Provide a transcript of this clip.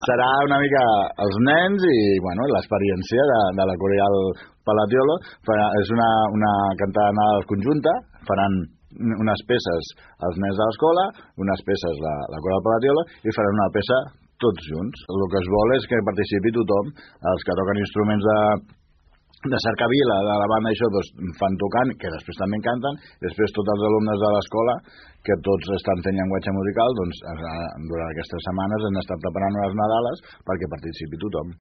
Serà una mica els nens i bueno, l'experiència de la Coral Palatiolo. És una cantada conjunta, faran unes peces els nens de l'escola, unes peces la Coral Palatiolo i faran una peça tots junts. El que es vol és que participi tothom, els que toquen instruments de cercavila, de la banda, això doncs, fan tocant, que després també canten, després tots els alumnes de l'escola, que tots estan fent llenguatge musical, doncs durant aquestes setmanes han estat preparant unes nadales perquè participi tothom.